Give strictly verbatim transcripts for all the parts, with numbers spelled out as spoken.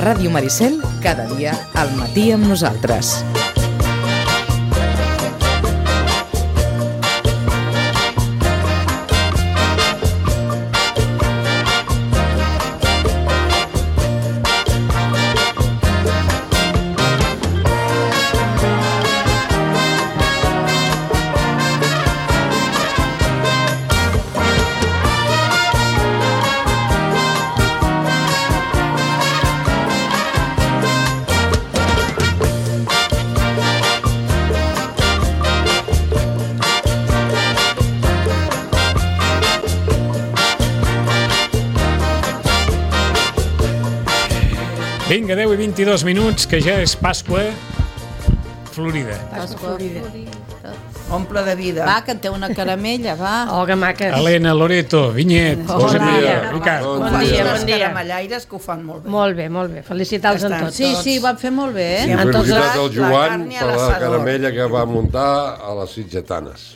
Ràdio Maricel, cada dia al matí amb nosaltres. Vinga, deu i vint-i-dos minuts, que ja és Pasqua Florida. Pasqua Florida. Omple de vida. Va, que en té una caramella, va. Oh, que maques. Helena, Loreto, Vinyet, Bon Josep dia. Maria, Ricard. Bon Fan dia, unes bon dia. caramellaires que ho fan molt bé. Molt bé, molt bé. Felicitar-los Ja en estan. tots. Sí, sí, ho van fer molt bé, eh? Sí, En tots Felicitats els... al la Joan carn i a per la l'assador. caramella que va muntar a les Sitgetanes.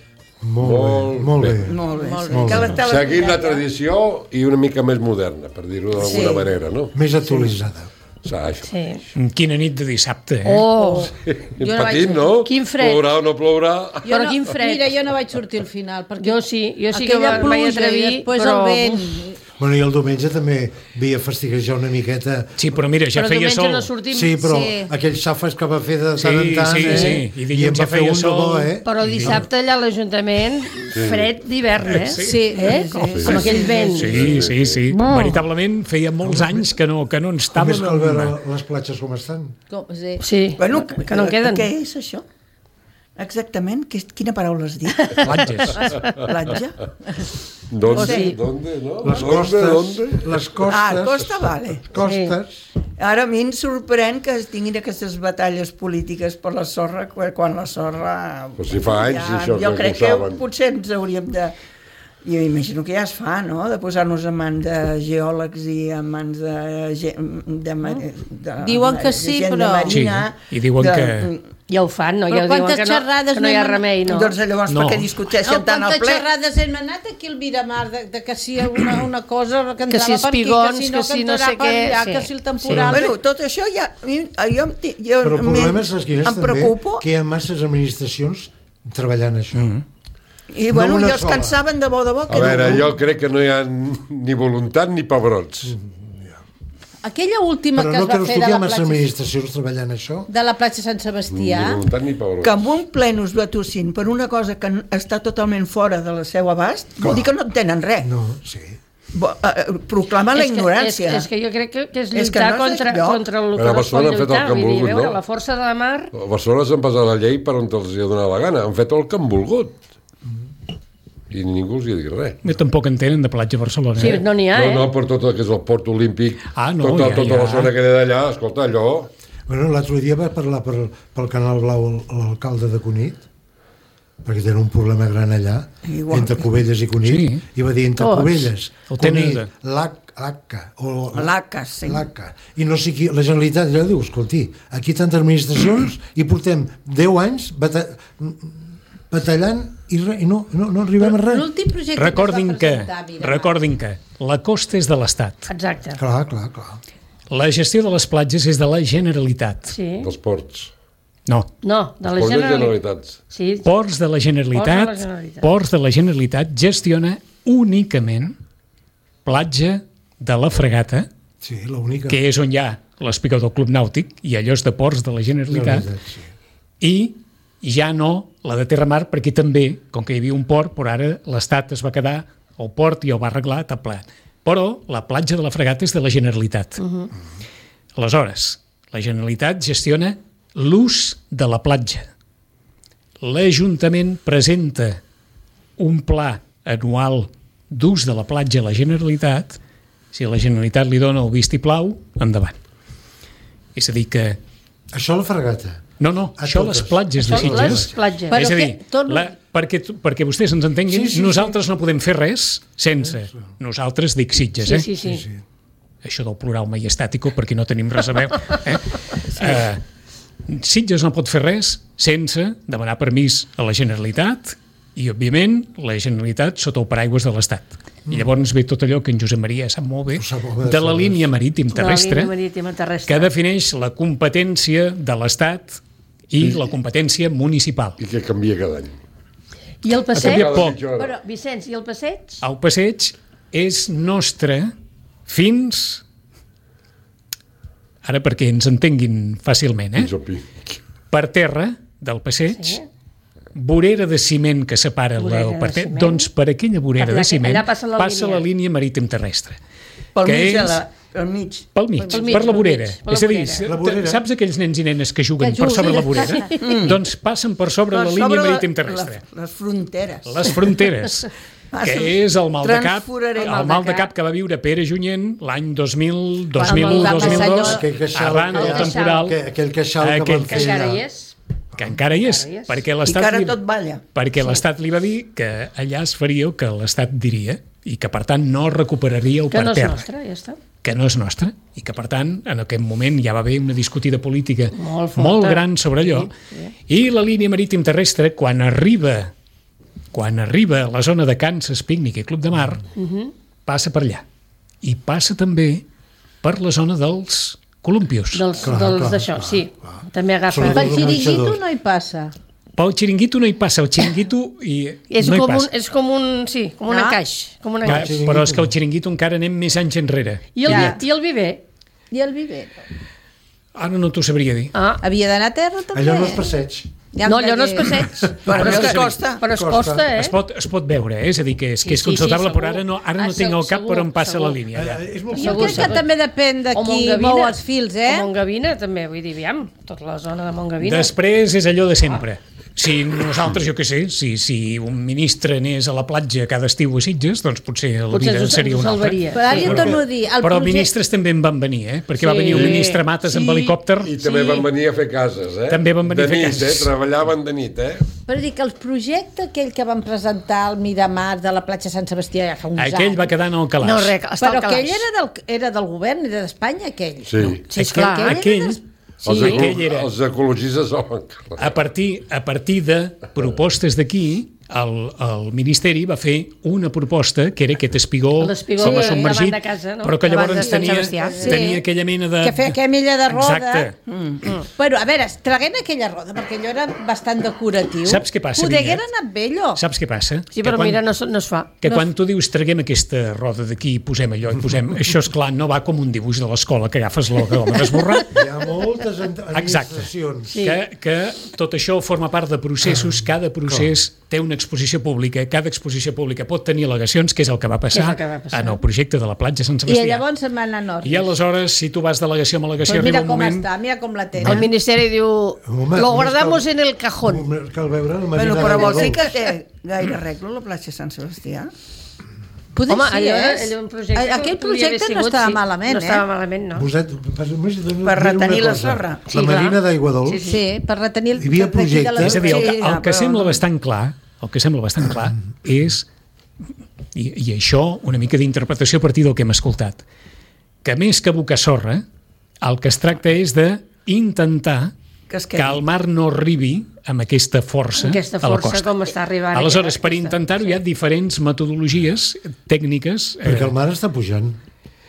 Molt, molt, molt bé. bé. Molt bé. Molt sí. bé. Que la tele- Seguint la tradició i una mica més moderna, per dir-ho d'alguna Sí. manera, no? Més actualitzada. Sa, això. Sí. Quina nit de dissabte, eh? Oh, Jo no Petit, vaig- no? Quin fred. Plourà o no plourà? Jo Però no, quin fred. Mira, jo no vaig sortir al final, perquè jo sí, jo sí que aquella em vaig pluja atrevir, i després però... el vent... Bueno, i el diumenge també havia fastiguejar una miqueta. Sí, però mira, ja Però feia diumenge sol. no sortim. Sí, però Sí. aquells xafes que va fer de tant Sí, en tant, sí, eh? sí. I dilluns I em ja va fer feia un de bo, sol. eh? Però dissabte allà a l'Ajuntament, fred d'hivern, eh? Sí. Sí, Eh? sí, Com, sí, com aquell vent. Sí, sí, sí. Bo. Veritablement feia molts anys que no, que no ens Com és estàvem... que al veure amb- les platges com estan? Com, sí. Sí, Bueno, que no en queden. Què és això? Exactament? Que, quina paraula has dit? Platges. Platja? ¿Dónde? Sí. ¿Dónde? ¿No? Les ¿Dónde? costes, ¿Dónde? les costes, Ah, costa, vale. costes. Ara a mi em sorprèn que es tinguin aquestes batalles polítiques per la sorra quan quan la sorra... Pues si fa anys, això, jo que crec ho que saben. potser ens hauríem de... Jo imagino que ja es fa, no?, de posar-nos en mans de geòlegs i en mans de... ge- de, de, de Diuen que sí, gent de però- marina, Sí, i diuen de, que- Ja ho fan, no? Però Ja diuen quantes que no, xerrades que no hi ha anem- remei, no? Doncs llavors No. per què discuteixen No, tant al quantes ple? xerrades hem anat aquí al Miramar de, de que si una, una cosa que Que si entrava per aquí, espigons, que si no, que si no entrarà sé per què, allà, sí. que si el temporal... Bueno, tot això ja... Jo, em, ti- jo Però el problema m'he- és les quines em també, preocupo que hi ha masses administracions treballant això. Mm-hmm. i bueno, no una i els sola. cansaven de bo de bo. A veure, jo crec que no hi ha ni voluntat ni pebrots. Aquella última Però que no es va creus fer tu de que hi la, ha masses platja, administracions treballant això? de la platja Sant Ni Sebastià, voluntat ni pebrots. Que en un ple us batussin per una cosa que n- està totalment fora de la seu abast, vol dir que no en tenen res. No, sí. Bo, eh, proclama la És que- ignorància. És, és que jo crec que, que és És que lluitar no és contra, lloc. contra el que Però a no es pot Barcelona han fet el lluitar. que han Vull dir, volgut, a veure, no? la força de la mar... A Barcelona s'han passat la llei per on els hi ha donat la gana. Han fet el que han volgut. I ningú els hi ha dit res. No, tampoc en tenen de platja a Barcelona. Sí, eh? no n'hi ha, No, eh? no, per tot el que és el port olímpic, Ah, no, tota, ja, tota ja. la zona que era d'allà, escolta, allò... Bueno, l'altre dia va parlar per, pel Canal Blau el- l'alcalde de Cunit, perquè tenen un problema gran allà, Igual. entre Cubelles i Cunit, Sí. i va dir entre Tots. Cubelles, Ho tenen Cunit, de- l'Aca, o L'Aca, sí. l'Aca, i no sé qui, la Generalitat ja diu, escolti, aquí tantes administracions i portem deu anys bata batallant i, re, i no, no, no arribem a res. l'últim projecte Recordin que que, es va presentar, mira, recordin que la costa és de l'Estat. Exacte. Clar, clar, clar. La gestió de les platges és de la Generalitat. Sí. dels ports. No, No, de la Els ports de Generalitat. Generalitats. Sí. Ports de la Generalitat, Ports de la Generalitat. Ports de la Generalitat gestiona únicament platja de la Fregata, Sí, l'única. que és on hi ha l'espigó del Club Nàutic, i allò és de Ports de la Generalitat, Sí. i ja no la de Terramar, perquè també, com que hi havia un port, però ara l'Estat es va quedar al port i el va arreglar tot ple. Però la platja de la Fregata és de la Generalitat. Uh-huh. Aleshores, la Generalitat gestiona l'ús de la platja. L'Ajuntament presenta un pla anual d'ús de la platja a la Generalitat. Si la Generalitat li dona el vistiplau, endavant. És a dir que... Això a la Fregata. No, no, A això totes. les platges de Això, les Sitges... platges. Però és a dir, que tot- la, perquè, perquè vostès ens entenguin, Sí, sí, nosaltres no podem fer res sense. Nosaltres dic Sitges, Sí, eh? sí, sí. Sí. Això del plural maiestàtico, perquè no tenim res a veure. Eh? Uh, Sitges no pot fer res sense demanar permís a la Generalitat i, òbviament, la Generalitat sota el paraigües de l'Estat. I llavors ve tot allò que en Josep Maria sap molt bé, de la línia marítim terrestre, La línia marítima terrestre. que defineix la competència de l'Estat i la competència municipal. I que canvia cada any. I el passeig? canviat poc. Però, Vicenç, i el passeig? El passeig és nostre fins... Ara perquè ens entenguin fàcilment, eh? Fins al pic. Per terra del passeig, Sí. vorera de ciment que separa Vorera el de per ciment. Doncs per aquella vorera Per allà- de ciment allà passa la passa línia. la línia marítim terrestre. Pel que mig, és- és... la, pel mig. Pel mig, Pel mig, per la pel vorera. mig, per la És a dir, vorera. La vorera. saps aquells nens i nenes que juguen Que per sobre la juguen, vorera? Doncs passen per sobre la Per línia sobre marítim la- terrestre. la- Les fronteres. Les fronteres, que és el mal de cap, Transforaré el mal de cap que va viure Pere Junyent l'any dos mil, dos mil u, va dos mil passar dos, allò- Aquell queixal arran que- del temporal, Que, aquell queixal que Aquell van Que fer encara allà. hi és. que encara hi és, Encara hi és. perquè I que l'Estat ara li, tot balla. perquè l'Estat li va dir que allà es faria el que l'Estat diria i que, per tant, no recuperaríeu Que per no és terra. nostre, ja està. Que no és nostre, i que, per tant, en aquest moment ja va haver una discutida política Molt forta. molt gran sobre allò, i la línia marítim terrestre, quan arriba quan arriba a la zona de Kansas, Pícnic i Club de Mar, passa per allà. I passa també per la zona dels columpios. Dels, Clar, dels clar, d'això, clar, sí. clar. També agafa... Sobretot Pel els xiringuito organitzadors. no hi passa. Pel xiringuito no hi passa, el xiringuito i És, no hi com un, passa. és com un... Sí, com un No? encaix. Com un Clar, encaix. però és que el xiringuito encara anem més anys enrere. I el, Ja. I el viver? I el viver? Ara no t'ho sabria dir. Ah, Havia d'anar a terra també? Allò no és passeig. Ja no, em allò no és deia- passeig. Però és no que es costa. Però es Costa. costa, eh? Es pot, es pot veure, eh? És a dir, que és, que és Sí, sí, sí, consultable, però segur. ara no, ara no Ah, tinc al cap segur, per on passa segur. la línia. Ja. Eh, és molt Jo Segur, crec que segur. també depèn de O qui Montgavina. mou els fils, eh? O Montgavina, també, vull dir, aviam, tota la zona de Montgavina. Després és allò de sempre. Si nosaltres, jo què sé, si, si un ministre anés a la platja cada estiu a Sitges, doncs potser la Potser vida ens ho- seria ens ho una altra. salvaria. Però ara Sí. jo torno a dir... El Però projecte... ministres també en van venir, eh? Perquè va Sí. venir el ministre Mates amb Sí. helicòpter. I també van venir a fer cases, eh? També van venir a de fer nit, cases. Eh? Treballaven de nit, eh? Però dic que el projecte aquell que van presentar al Miramar de la platja Sant Sebastià ja fa uns Aquell anys... va quedar en el calaix. No, res, està Però al aquell calaix. era del, era del govern, era d'Espanya, aquell. Sí. Sí, esclar. Aquell- Aquell, Els, sí, ecolo aquell era... els ecologistes el van carregar. A partir, a partir de propostes d'aquí, el, el Ministeri va fer una proposta que era aquest espigó L'espigó com a sí, submergit, davant de casa, no? però que Davant llavors de Sant tenia, Sebastià. Sí. tenia aquella mena de... Que feia aquella milla de roda. Exacte. Mm. Però, a veure, traguent aquella roda, perquè allò era bastant decoratiu. Saps què passa, Poder Vinyet? haguera anat bé, allò. Saps què passa? Sí, Que però quan- mira, no, es- no es fa. Que quan tu dius traguem aquesta roda d'aquí i posem allò i posem... Això, és clar, no va com un dibuix de l'escola que agafes l'home d'esborrar. Hi ha moltes ent- administracions. Sí. Que, que tot això forma part de processos, cada procés té una exposició pública, cada exposició pública pot tenir al·legacions, que és el que va Que és passar el que va passar. en el projecte de la platja Sant I Sebastià. llavors se'n va anar a nord. I aleshores, si tu vas delegació a al·legació, Pues mira arriba un com moment... està, mira com la El tenen. Ministeri diu, Home, lo només guardamos cal- en el cajón. Cal veure la Bueno, Marina però de vol dir Godó. que té gaire arreglo la platja Sant Sebastià? Poder Home, sí, allò, eh? allò un projecte... que Aquell podria haver projecte no sigut, estava sí. malament, No eh? estava malament, no. Voset, per, només, per Per retenir la sorra. Sí, La Marina clar. d'Aiguadols, Sí, sí. Sí, per retenir el... Hi havia per retenir projecte. la- És a dir, el, que- Sí, el que però- sembla bastant clar, el que sembla bastant clar és, i, i això una mica d'interpretació a partir del que hem escoltat, que més que abocar sorra, el que es tracta és d'intentar Que es que quedi. el mar no arribi amb aquesta força Aquesta a la força costa. com està arribant. Aleshores, per aquesta- intentar-ho hi ha diferents metodologies tècniques. perquè eh, el mar està pujant.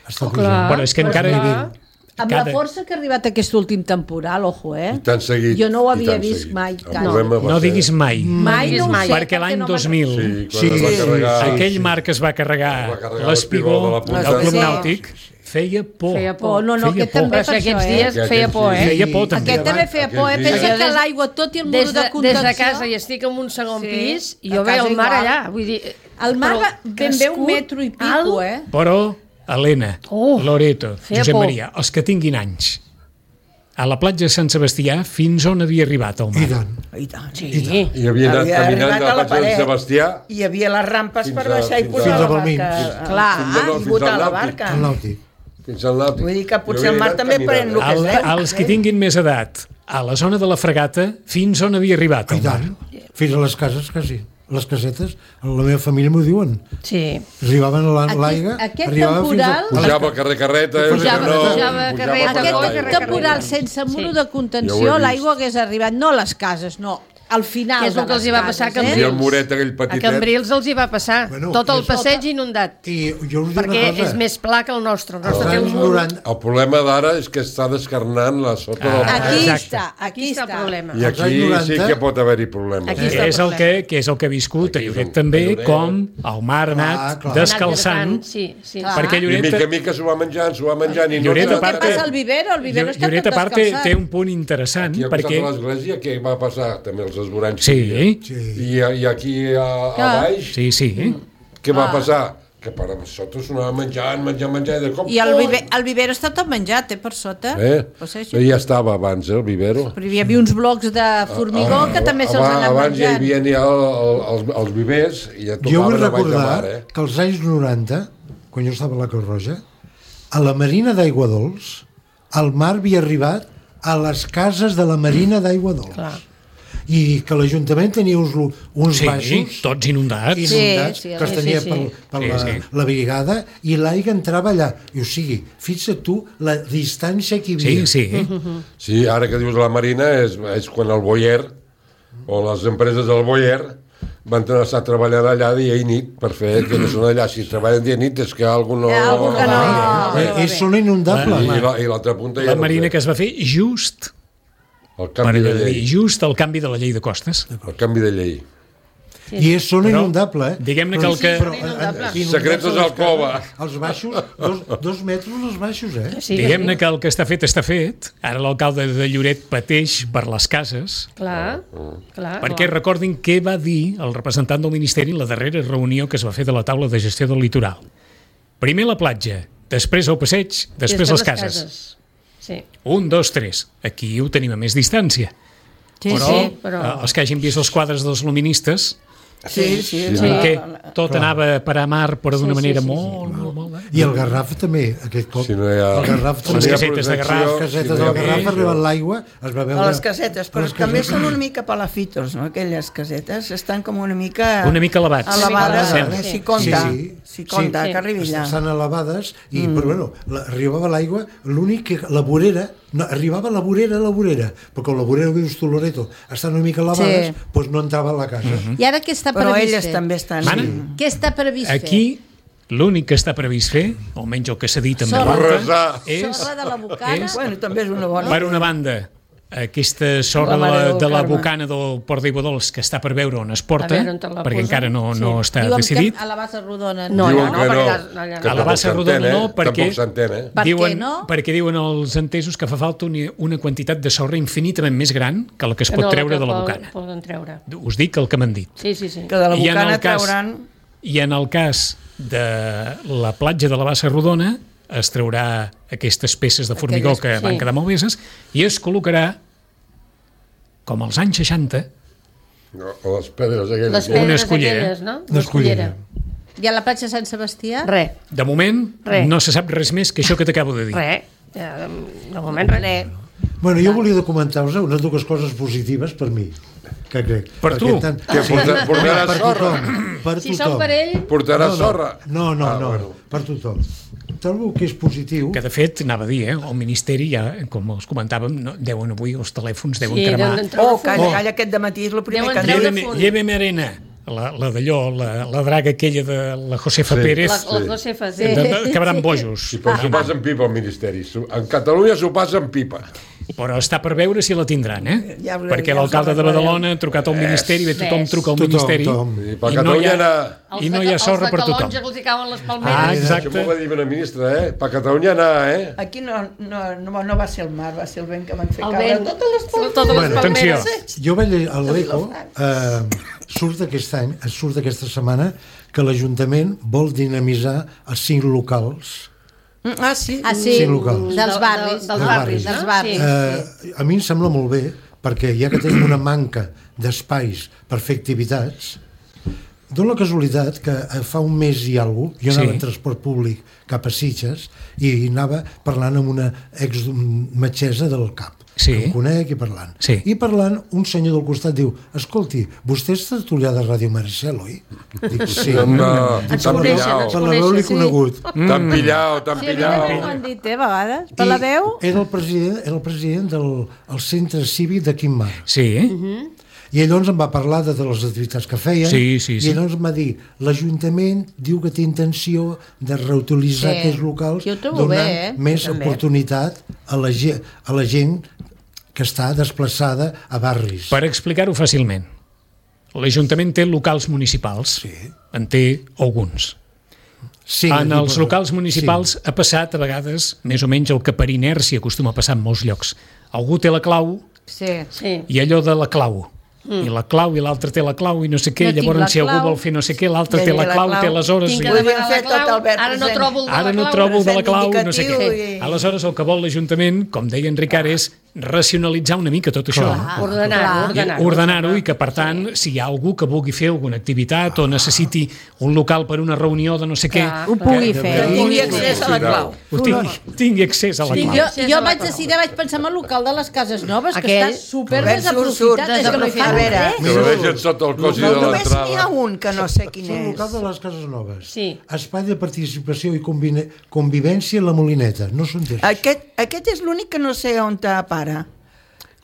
Està Oh, pujant. clar. Però és que Però encara... clar. Amb la força que ha arribat aquest últim temporal, ojo, eh? I tan seguit. Jo no ho i havia tan vist seguit. mai. El Cara. problema va No ser- diguis mai, Mai diguis no ho mai. sé. perquè l'any no dos me'n- mil, Sí, quan Sí, es va sí, carregar... sí. aquell mar que es va carregar, Va carregar l'espigó l'espigó de la punta. del Club Sí. Nàutic, feia por. Feia Oh, por. no, no, Feia aquest por. també Però per si aquests això, eh? dies Que feia aquests por, dies- eh? Feia por, també. Aquest també feia por, eh? Aquells Pensa dies- que l'aigua, tot i el mur Des de de, des contenció... de casa i estic en un segon Sí, pis i a jo veig casa el mar igual. allà. Vull dir, El mar però va ben bé un crescut, metro i pico, alt. eh? Però, Helena, Oh, Loreto, feia Josep por. Maria, els que tinguin anys, a la platja de Sant Sebastià, fins on havia arribat el I mar? tant. I tant. Sí. I havia anat Havia caminant arribat de a la la platja de paret. Sant Sebastià Hi havia les rampes Fins per a- baixar i fins posar a- la Fins a barca. Balmins. Clar, Fins a- i fins botar al la Nàutic. barca. El nàutic. fins al Nàutic. Vull dir que potser Jo havia el mar anat també caminant. pren lo que El, és, eh? els que tinguin més edat, a la zona de la fregata, fins on havia arribat I el mar? tant. Fins a les cases, quasi. Les casetes, la meva família m'ho diuen. Sí. Arribaven a la- Aquest- l'aigua... aquest arribaven fins a- temporal- Pujava al carrer Carreta. eh, Pujava- no, pujava carreta, per Aquest Coll, l'aigua. carrer temporal Carrera. sense muro Sí. de Ja ho contenció, he l'aigua hagués arribat, no a les cases, no, al final Que és el de que els les hi va passar a cases, I Cambrils. el muret aquell A petitet. Cambrils els hi va passar. Bueno, Tot el és- passeig inundat. I jo us dic Perquè una cosa. és més pla que el nostre. El als nostre té anys un munt. noranta, El problema d'ara és que està descarnant la sota del Ah, Aquí Exacte. està, aquí Aquí està el està. problema. I als aquí anys noranta sí que pot haver-hi problemes. Aquí Que està el és, el problema. que, que és el que ha viscut a Aquí és Lloret un- també, Lloret. com el mar ha anat Ah, clar. descalçant, Anat Sí, sí. Clar. perquè I Lloret... mica en mica s'ho va menjant, s'ho va menjant i no... Lloret, Però a part, què passa al vivero? El vivero està Lloret, tot a part, té, descalçat. té un punt interessant, Aquí al costat perquè... de l'església, què va passar? També els esvoranys. Sí, Sí. I, I aquí a, a Clar. baix, sí, sí. què va passar? Que per sota s'ho anava menjant, menjant, menjant, i de cop... I el, vive, el vivero està tot menjat, eh, per sota. Eh? Pues això. Ja estava abans, eh, el vivero. Però hi havia uns blocs de formigó que també se'ls Abans- anaven Abans ja hi menjant. havia el, el, els, els vivers i ja Jo vull tocaven a baix de recordar mar, eh? que als anys noranta, quan jo estava a la Creu Roja, a la Marina d'Aigua Dols, el mar havia arribat a les cases de la Marina d'Aigua Dols. Clar. I que l'Ajuntament tenia uns, uns Sí, baixos tots inundats. inundats Sí, sí, que es sí, tenia sí, per, sí. per Sí, la, sí. la brigada i l'aigua entrava allà. I o sigui, fixa't tu la distància que hi Sí, havia. sí. Sí, ara que dius la Marina és, és quan el Boyer o les empreses del Boyer van estar treballant allà dia i nit per fer que no són allà. Si treballen dia i nit és que algú no... Eh, algú que no- Eh, és zona inundable. I, la- i l'altra punta ja La no marina sé. que es va fer just, El per canvi de allò de dir, llei. just el canvi de la llei de costes. El canvi de llei. I és zona Però, inundable, eh? diguem-ne que el que- Però, Sí, inundable. eh, inundable Secretos les al cova. cases, Els baixos, dos, dos metres els baixos, eh? Sí, Diguem-ne sí. que el que està fet està fet. Ara l'alcalde de Lloret pateix per les cases, Clar, clar. perquè recordin què va dir el representant del Ministeri en la darrera reunió que es va fer de la taula de gestió del litoral. Primer la platja, després el passeig, I després les cases. Sí. Un, dos, tres. Aquí ho tenim a més distància. Sí, Però, sí. però- eh, els que hagin vist els quadres dels luministes, Sí, sí. en sí. què tot anava a parar a mar, però d'una Sí, sí, manera sí, sí. molt, molt, molt... eh? I el Garraf també, aquest cop. Si no hi ha... El Garraf si no també. hi ha Les casetes de protecció, Garraf, Les casetes si no hi del ha Garraf protecció. arribant l'aigua, es va veure... A les casetes, però les també casetes. són una mica palafitos, no? Aquelles casetes estan com una mica... Una mica elevats. Elevades, Una mica eh, elevades. si compta, Sí, si compta, sí. que arribi allà. Estan elevades, i, mm. però bueno, la, arribava l'aigua, l'únic que la vorera, no, arribava la vorera a la vorera, però com la vorera, dius tu, Loreto, estan una mica elevades, Sí. doncs no entrava a la casa. Mhm. I ara què està Però previst elles fer? també estan... Mana? Què està previst Aquí, l'únic que està previst fer, almenys el que s'ha dit en Sorra. veu alta, Resar. fer? és, Sorra de la Bocana? és- Bueno, també és una bona... per una banda, aquesta sorra La de Mare la, del de la Carme. Bocana del Port d'Iguadols que està per veure on es porta, A veure on te la perquè posa. encara no, Sí. no està Diuen decidit. que a la bassa rodona No, Diuen allà no, que perquè no, allà- allà que A la no. bassa tampoc rodona s'entén, no, eh? perquè- Tampoc s'entén, eh? Per què diuen, no? Perquè diuen els entesos que fa falta una, una quantitat de sorra infinitament més gran que la que es Que pot no, treure que de la poden- Bocana. Poden treure. Us dic el que m'han dit. Sí, sí, sí. Que de la I en Bocana el cas- trauran... I en el cas de la platja de la Bassa Rodona es traurà aquestes peces de formigó Aquelles- que van sí. quedar malveses i es col·locarà, com als anys seixanta, No, o les pedres aquelles. Les Una pedres escullera. aquelles, no? Una escullera. I a la platja Sant Sebastià? Res, de moment Re. no se sap res més que això que t'acabo de dir. res. Ja, de moment res. Bueno, jo volia documentar-vos unes dues coses positives per mi, que crec. Per Perquè tu? Tant, Que porta- portarà per sorra? tothom, per Si tothom. són per ell, Portarà no, no, sorra? No, no, Ah, no, bueno. per tothom. Trobo que és positiu. Que de fet, anava a dir, eh, el Ministeri ja, com els comentàvem, no, deuen avui els telèfons deuen sí, cremar. deuen treure Oh, calla, fum. calla, aquest dematí és el primer Deuen que han treure dit. fum. Lléveme, lléveme arena, la, la d'allò, la, la draga aquella de la Josefa Sí. Pérez, La, la Josefa, sí. de, de, acabaran bojos. I però s'ho passa en pipa, el Ministeri. S'ho- En Catalunya s'ho passa en pipa. Però està per veure si la tindran, eh? Ja ho- Perquè ja l'alcalde us de arreglarem. Badalona ha trucat al Ministeri, bé, tothom Ves. truca al Tothom, Ministeri, tothom. I per i no hi Catalunya ha, anar... i no hi ha sorra per Els de tothom. Calonja que els hi cauen les palmeres. Ah, Això exacte. m'ho va dir una ministra, eh? Per Catalunya anar, eh? Aquí no, no, no, no va ser el mar, va ser el vent que van fer El caure vent, totes les palmeres. totes les Bueno, atenció. palmeres. Jo vaig a l'Eco, eh, surt aquest any, surt aquesta setmana, que l'Ajuntament vol dinamitzar els cinc locals. Ah, sí? Ah, sí, Cinc locals. dels De- barris. de- dels barris, Dels no? barris. Sí. Eh, a mi em sembla molt bé, perquè ja que tenim una manca d'espais per fer activitats, dona la casualitat que eh, fa un mes i alguna cosa, jo anava Sí. en transport públic cap a Sitges i anava parlant amb una ex-metgessa del CAP, Sí. que em conec i parlant. Sí. I parlant, un senyor del costat diu: escolti, vostè és tertulià de Ràdio Maricel, oi? Dic, sí. No, Ens t'han coneixen, pillau. ens Per la veu l'he coneixen. conegut. T'han pillau, t'han Sí, a mi també pillau. m'ho han dit, eh, a vegades. Per la veu? Era el president, era el president del el centre cívic de Quim Mar. Sí, I ell doncs em va parlar de les activitats que feien, Sí, sí, sí. i llavors em va dir, l'Ajuntament diu que té intenció de reutilitzar Sí. aquests locals Jo ho trobo donant bé, eh? més També. oportunitat a la, ge- a la gent que està desplaçada a barris. Per explicar-ho fàcilment, l'Ajuntament té locals municipals, Sí. en té alguns. Sí, En els sí, locals municipals ha passat a vegades més o menys el que per inèrcia acostuma a passar en molts llocs. Algú té la clau Sí. Sí. i allò de la clau. Mm. I la clau i l'altre té la clau i no sé què, No tinc llavors la si algú clau. vol fer no sé què, l'altre Ja té hi ha la la clau, clau. té les hores... Tinc i- que Podríem demanar fer la tot clau, Albert ara no present. trobo el de la Ara no clau. trobo el de la present clau, no sé indicatiu què. i- Aleshores, el que vol l'Ajuntament, com deia en Ricard, és racionalitzar una mica tot això. Clar. Ordenar-ho, Clar. ordenar-ho. Ordenar-ho i que, per tant, si hi ha algú que vulgui fer alguna activitat o necessiti un local per una reunió de no sé què, Clar. Ho pugui que- fer. Que tingui accés a la clau. ho tingui, tingui accés a la Sí, clau. Jo, accés jo a la vaig clau. decidir, vaig pensar en el local de les Cases Noves, que Aquell- està super Albert, surt, surt, desaprofitat. És que no hi desaprofitat. fan A veure, res. Que ho deixen sota el cos i de Només n'hi ha l'entrada. un que no sé quin És el és. local de les Cases Noves. Sí. Espai de participació i convine- convivència a la Molineta. No són tres. Aquest, aquest és l'únic que no sé on te para.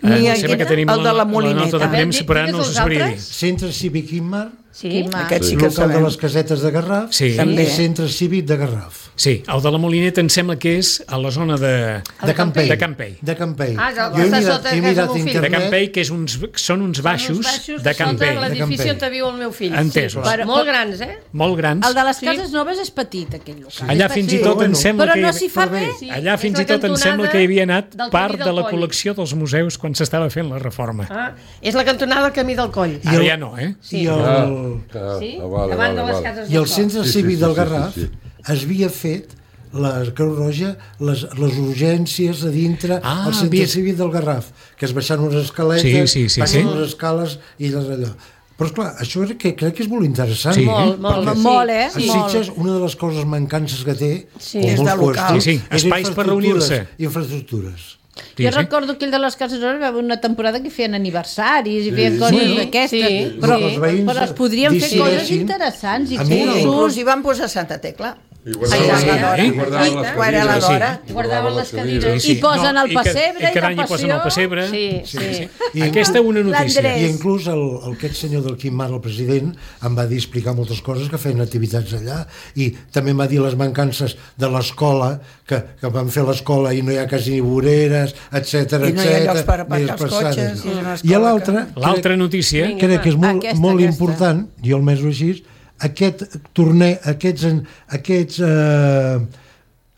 Eh, Ni em sembla que tenim el de la la nota Molineta. de premsa, Digues però no els us sabria dir. altres. Centre Cívic Immar, Sí. Quima. Aquest sí que el local de sabem. les Casetes de Garraf Sí. També. i Centre Cívic de Garraf. Sí, el de la Molineta em sembla que és a la zona de... De Campell. De Campell. De Campell. Ah, ja, Jo he està mirat, sota he casa mirat del fill. De internet. Campell, que és uns, són uns baixos, Uns baixos de sota Campell. l'edifici De Campell. on viu el meu fill. Entesos. Sí, Però- molt grans, eh? Molt grans. El de les Sí. Cases Noves és petit, aquell local. Allà És fins i petit. tot bueno, em sembla Però que... no s'hi fa però bé. res. Sí, Allà és fins la i tot em cantonada sembla que hi havia anat del part Camí de del la Coll. col·lecció dels museus quan s'estava fent la reforma. Ah, és la cantonada del Camí del Coll. Ara ja no, eh? Sí. I el, Ah, Sí? ah, vale, Davant vale, de les vale. cases i el del Centre Sí, sí, Cívic sí, del sí, Garraf sí, sí. es havia fet la Creu Roja, les, les urgències a dintre Ah, al Centre havia- Cívic del Garraf, que es baixant unes escaletes, Sí, sí, sí, baixen sí. unes escales i les allò. Però esclar, això és que crec que és molt interessant. Sí. Molt, molt, Molt, sí. molt, eh? A Sí. Molt. Sitges, una de les coses mancances que té, Sí. com És molts de local. puestos, Sí, sí, és espais per reunir-se. Infraestructures. Sí, Jo sí. recordo aquell de les Cases Noves, va haver una temporada que feien aniversaris i feien coses Sí, d'aquestes, sí, però, sí. Els veïns però es podrien fer coses decideixin. interessants i A mi- cursos. Inclús hi van posar Santa Tecla. I guardaven, Sí, sí, i eh? guardaven les Quan era la cadires. d'hora. I Guardaven les cadires. Sí, sí. I posen el i que- pessebre i i cada la any hi posen el passió. pessebre. Sí, sí. I Aquesta una notícia. L'Andrés. I inclús el, el, aquest senyor del Quim Mar, el president, em va dir explicar moltes coses, que feien activitats allà, i també em va dir les mancances de l'escola, que, que van fer l'escola i no hi ha quasi ni voreres, etcètera, I no hi ha etcètera, llocs per ni aparcar els passades, cotxes, no. i és una I escola l'altra, L'altra crec, notícia, Vinga. crec que és molt, Aquesta, molt aquesta. important, jo almenys ho així, aquest torneig, aquests, en- aquests eh,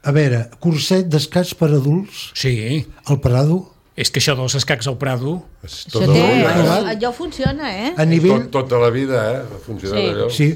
a veure, curset d'escacs per adults sí, al Prado, és que això dels escacs al Prado... És Això tota té, la vida, Provat. eh? allò funciona, eh? a nivell... Tot, tota la vida, eh? Ha funcionat Sí. allò. Sí,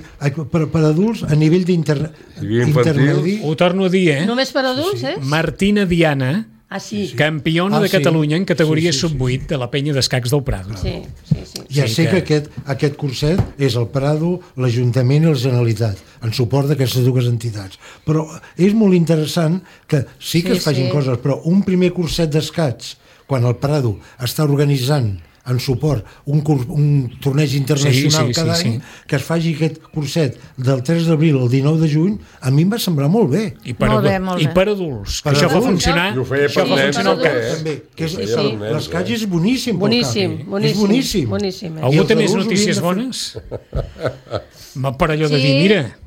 per, per adults a nivell d'inter... Hi havia infantils. intermedi. Ho torno a dir, eh? Només per adults, eh? Martina Diana, Ah, sí. campiona Ah, de sí. Catalunya en categoria Sí, sí, sí, sub vuit de la penya d'escacs del Prado. Sí, sí, sí. Ja Sí sé que- que aquest, aquest curset és el Prado, l'Ajuntament i la Generalitat, en suport d'aquestes dues entitats. Però és molt interessant que sí que Sí, es facin sí. coses, però un primer curset d'escacs, quan el Prado està organitzant en suport un, curs, un torneig internacional Sí, sí, cada sí, any, sí. que es faci aquest curset del tres d'abril al dinou de juny, a mi em va semblar molt bé. I per, Molt bé, adu- molt I bé. per adults, que Per això fa adults. funcionar... I ho feia això per fa nens, funcionar el també, cas. eh? També, que és, Sí, el- sí. l'escaig és boníssim. pel Boníssim, cap. boníssim, És boníssim. boníssim, eh? I Algú els té més adults notícies haurien de fer- bones? Va per allò de Sí. dir, mira,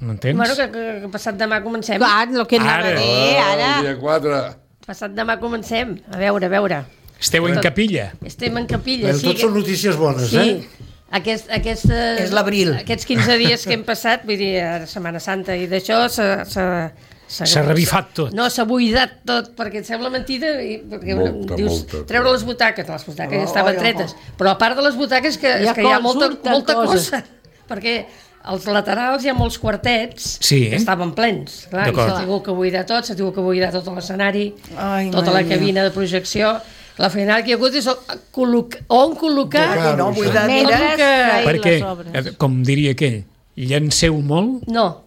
m'entens? Bueno, que, que, que passat demà comencem. Clar, el que anava Ara. a dir, Ah, ara. el dia quatre. Passat demà comencem. A veure, a veure. Esteu en capilla. Estem en capilla. Però sí, tot que- són notícies bones, Sí, eh? aquest, aquesta, És l'abril. Aquests quinze dies que hem passat, vull dir, a Setmana Santa, i d'això s'ha... s'ha- S'ha revifat tot. No, s'ha buidat tot, perquè et sembla mentida, i, perquè Molta, dius, molta. treure les butaques, les butaques ja Oh, estaven oh, tretes, però a part de les butaques que, Hi ha és que hi ha cos, molta, surten molta coses. cosa, perquè als laterals hi ha molts quartets Sí. que estaven plens, clar, i D'acord. s'ha tingut que buidar tot, s'ha tingut que buidar tot l'escenari, Ai, tota mare la mia. cabina de projecció. La feinada que hi ha hagut és el- col·loc- on col·locar... Perquè no, buidar, Mentre mira, que- feien Perquè, les obres. eh, com diria aquell, llanceu molt No,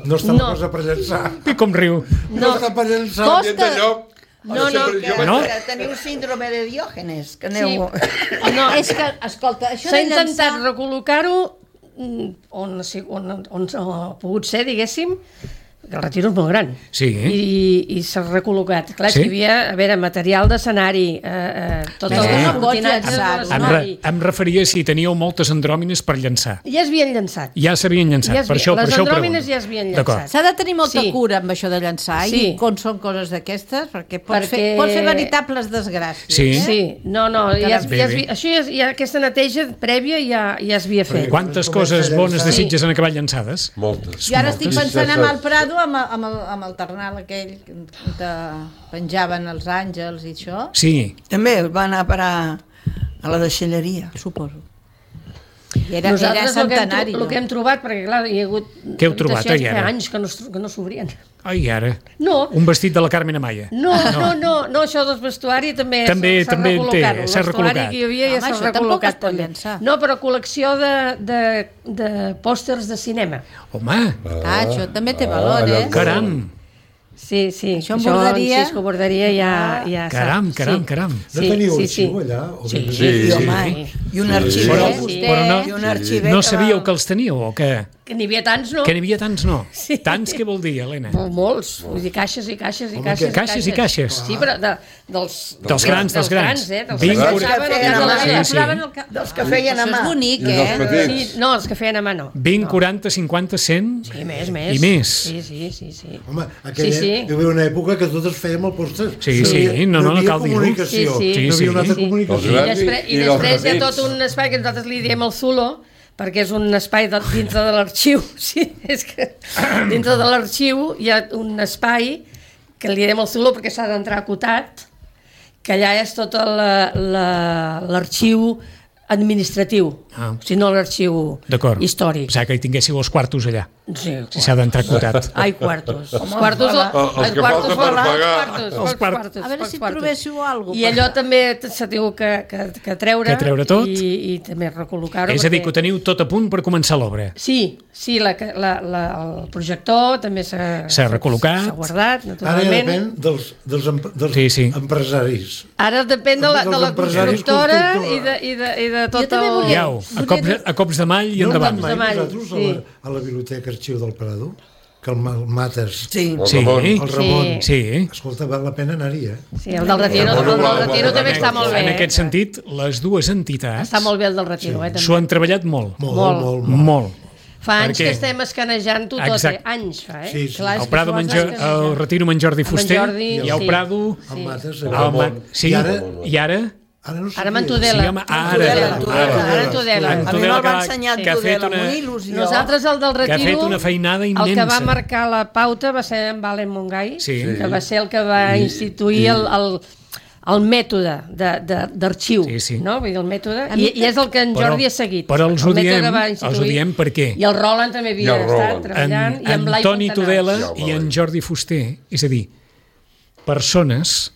No està No. la cosa per llançar. i com riu. No, està per llançar. Costa- Gent de lloc. No, Jo no, sempre- Que, jo vaig- No? que teniu síndrome de Diògenes, que sí. aneu... No, És que, escolta, això s'ha de intentat llançar... recol·locar-ho mm, on, on, on, on ha pogut ser, diguéssim, el Retiro és molt gran. Sí. I, i s'ha recol·locat. Clar, Sí? sí? Hi havia, a veure, material d'escenari, eh, eh, tot Sí. el Sí. cortinatge de Em, re, l'escenari. em referia si teníeu moltes andròmines per llençar. Ja es havien llençat. Ja s'havien llençat, Ja es per vi- això, per les això ho andròmines pregunto. ja es havien D'acord. llençat. S'ha de tenir molta Sí. cura amb això de llançar Sí. i quan són coses d'aquestes, perquè pot, Perquè- fer, pot fer veritables desgràcies. Sí. Eh? Sí, no, no, ja es, Bé, ja es, bé. vi- això ja, es- ja, aquesta neteja prèvia ja, ja es havia fet. Quantes Comença coses a bones llançar. desitges han acabat llançades? Moltes. Jo ara estic Moltes. pensant amb el Prado, amb el, amb el, amb el Ternal aquell que penjaven els àngels i això, Sí. També va anar a parar a la deixalleria. suposo. I era, era Nosaltres el que, hem, centenari. tro- el que hem trobat, perquè clar, hi ha hagut Què heu trobat, habitacions ai, que fa ara? anys que no, es- que no s'obrien. Ai, ara. No, Un vestit de la Carmen Amaya. no, no, no, no, això del vestuari també També- s'ha també recol·locat. té, El s'ha vestuari recol·locat. que hi havia Home, ja s'ha això tampoc es recol·locat pot també. llançar. No, però col·lecció de, de, de pòsters de cinema. Home, Ah, això també té valor, allò eh? molt- caram, Sí, sí. Això en borderia? En Cisco Borderia ja, ja s'ha- caram, caram, sí. caram. No teniu arxiu allà? O Sí, ben- sí, I, sí. home, i un arxiver. Però, sí. però I no, un arxiver no que sabíeu va- que els teníeu o què? Que n'hi havia tants, no? Que n'hi havia tants, no? Sí. Tants què vol dir, Helena? Mol- Molts, vull dir, caixes i caixes i Home, caixes. que- caixes i caixes. Sí, però de, dels... Dels grans, dels grans. eh? Dels Vinc que cur- posaven al Sí, cap de la sí, vida. sí. Posaven el ca- Dels que feien a Això mà. és bonic, I dels eh? petits. Sí, no, els que feien a mà no. vint, quaranta, cinquanta, cent Sí, més, més. i més. Sí, sí, sí. sí. Home, aquella, Sí, sí. hi havia una època que totes fèiem el pòster. Sí, sí, no, no, no havia cal dir-ho. comunicació. Sí, sí. No Sí, havia una altra sí. I, comunicació. Els grans després, i- i i dels després hi ha petits. tot un espai que nosaltres li diem el Zulo, perquè és un espai de, dintre de l'arxiu. Sí, és que dintre de l'arxiu hi ha un espai que li diem el Zulo perquè s'ha d'entrar acotat, que allà és tot la- la- l'arxiu administratiu, Ah. o sigui, no l'arxiu D'acord. històric. Pensava que hi tinguéssiu els quartos allà, Sí, si s'ha d'entrar acotat. Ai, quartos. Els quartos, hola. Els els que quartos, falta per els pagar. quartos, Els els quart- quartos, A veure els si quartos. trobéssiu alguna I allò també s'ha tingut que, que, que treure. Que treure tot. I, i també recol·locar-ho. És a dir, que ho perquè- teniu tot a punt per començar l'obra. Sí, sí, la, la, la, el projector també s'ha... S'ha recol·locat. S'ha guardat, Ara ja naturalment. depèn dels, dels, em- dels Sí, sí. empresaris. Ara depèn de la, de la Dels empresaris constructora i constructora. de, i, de, i de tot també el... volia- Iau, a cops, a cops de mall i No endavant. anat mai de mall, vosaltres a, sí. la, a la Biblioteca Arxiu del Prado? Que el Ma- el Mates, Sí. El Sí, Ramon. el Ramon... sí. Escolta, val la pena anar-hi, eh? Sí, el del Retiro, el del Retiro també està molt bé. En eh? aquest sentit, les dues entitats Està molt bé el del Retiro, eh, s'ho també. han treballat molt. Molt, Molt. molt, molt. Molt. Fa anys Per què? que estem escanejant-ho tot, eh? Exacte. Anys fa, eh? Sí, sí. Clar, és El que Prado, s'ho has amb en Jo- d'escanejar. el Retiro amb en Jordi Amb en Fuster Jordi, i el sí. Prado... El Mates... El el Ramon. Ma- Sí, I ara- i ara... Ara no sé Ara amb en qui és. Tudela. Sí, home, ara. Tudela, Ara. Tudela. Ara en Tudela. En A mi Tudela me'l va que- ensenyar que ha fet Tudela, amb una- una il·lusió. Nosaltres, el del Que ha Retiro, fet una feinada el que va immensa. marcar la pauta va ser en Valen Mongai, Sí. que va ser el que va instituir el, el, el mètode de- de- d'arxiu, Sí, sí. no? Vull dir, el mètode, A mi i, i és el que en Però- Jordi ha seguit. però els el ho mètode diem- que va els ho instituir. diem per què? I el Roland també havia I el estat Roland. treballant, En, i amb l'Ai Antoni Fontanals. Tudela Ja, i en home. Jordi Fuster, és a dir, persones,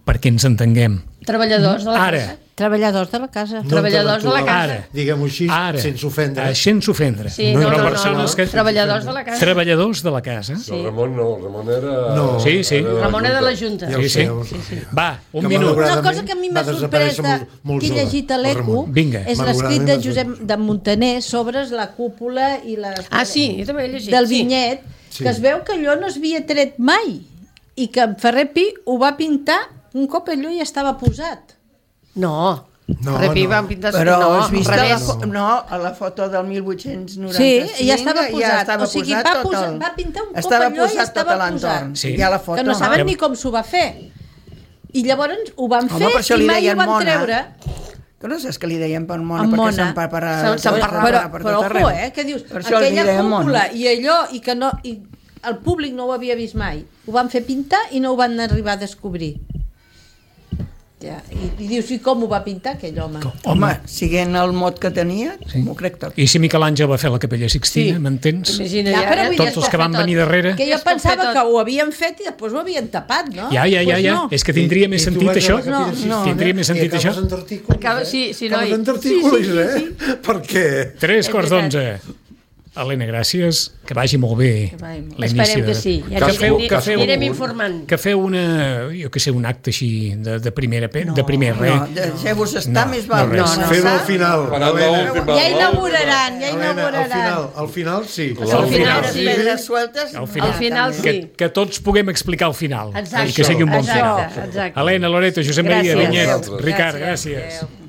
perquè ens entenguem, Treballadors de la Ara. casa. Treballadors de la casa. No treballadors de la intel·lectuals, casa. Ara. Diguem-ho així, ara, sense ofendre. eh, sense ofendre, Sí, No, no, però no, no, persones no. que... Treballadors de la casa. Treballadors de la casa. El Ramon no, el Ramon era... No. Sí, sí. era de la Ramon era de la Junta. Junta. Ja ho Sí, sé, sí. ja ho sé. Va, un Que minut. malauradament Una cosa que a mi m'ha va sorprès desaparèixer de, molt- molt que he jove, llegit a el l'E Q Ramon. Vinga. és l'escrit Malauradament de va Josep de Montaner sobre la cúpula i la, Ah, sí, jo també he llegit. del sí. vinyet, Sí. que es veu que allò no es havia tret mai i que en Ferrer Pi ho va pintar un cop allò ja estava posat. No, No, Repi no. van pintar... Però no, has vist al la, revés. fo no, a la foto del mil vuit-cents Sí, noranta-cinc ja estava posat. ja estava O sigui, posat va tot posar- el... va pintar un cop estava allò i posat estava tot l'entorn. posat. Sí. Hi ha la foto. Que no saben no? ni com s'ho va fer. I llavors ho van Home, fer per això i li mai ho deien van mona. treure. Que no saps que li deien per mona, En perquè mona. s'emparparà Se'n- s'emparrà. Però, per però tot arreu. ojo, eh, que dius, Per això li aquella deien mona. cúpula i allò, i que no, i el públic no ho havia vist mai. Ho van fer pintar i no ho van arribar a descobrir. Ja, i, i dius, i com ho va pintar aquell home? Home, siguent el mot que tenia, Sí. m'ho crec tot. I si Miquel Àngel va fer la Capella Sixtina, Sí. m'entens? Imagina, Ja, ja, però ja, vull dir, Tots els que van venir darrere... Que Ja jo es pot fer pensava tot. que ho havien fet i després ho havien tapat, no? Ja, ja, ja, Pues ja. no. És que tindria més I- i tu sentit vas a això? la Capella No, Sixtina Tindria més sentit i acabes això? en tartícules, Acaba- eh? sí, sí, Acabes noi. en tartícules, Sí, sí, sí, eh? Perquè... Tres És quarts veritat. d'onze. Helena, gràcies, que vagi molt bé vagi molt l'inici. Esperem que de- sí. Ja que que feu, anirem- que feu, anirem informant. que feu una, jo que sé, un acte així de, de primera pe, de primer res. No, deixeu-vos estar, No, més val no res. començar. Fem al final. Faran Helena, l'última- Ja inauguraran, ja Helena, al inauguraran. final, al final sí. Al final sí. Pedres sueltes. Al final. Al final sí. Que, que tots puguem explicar al final. Exacte. I que sigui un bon final. Exacte, exacte. Helena, Loreto, Josep Maria, Gràcies. Vinyet, Gràcies. Ricard, Gràcies. gràcies. Adéu.